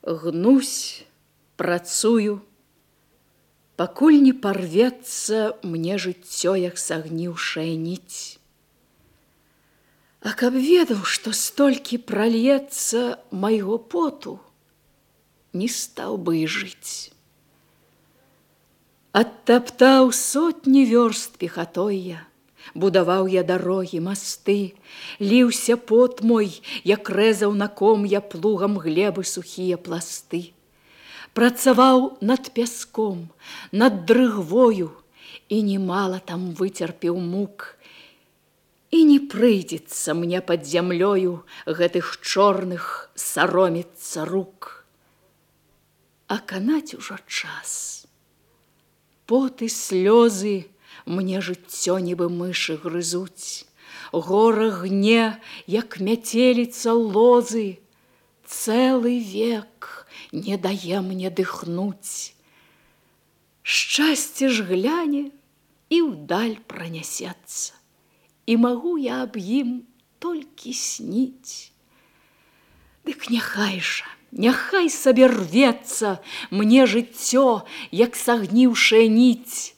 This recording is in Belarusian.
Гнусь, працую, пакуль не парвецца мне жыццё, як сагніўшая ніць. А каб ведаў, што столькі пральецца майго поту, не стаў бы і жыць. Адтаптаў сотні вёрст пехатой я, будаваў я дарогі, масты, ліўся пот мой, як рэзаў на ком я плугам глебы сухія пласты. Працаваў над пяском, над дрыгвою, і немала там выцерпеў мук. І не прыйдзецца мне пад зямлёю гэтых чорных саромецца рук. А канаць ужо час. Пот і слёзы мне жыццё нібы мышы грызуць. Гора гне, як мяцеліца лозы. Цэлы век не дае мне дыхнуць. Шчасце ж гляне і ўдаль пранясецца. І магу я аб ім толькі сніць. Дык няхай жа, няхай сабе рвецца мне жыццё, як сагніўшая ніць.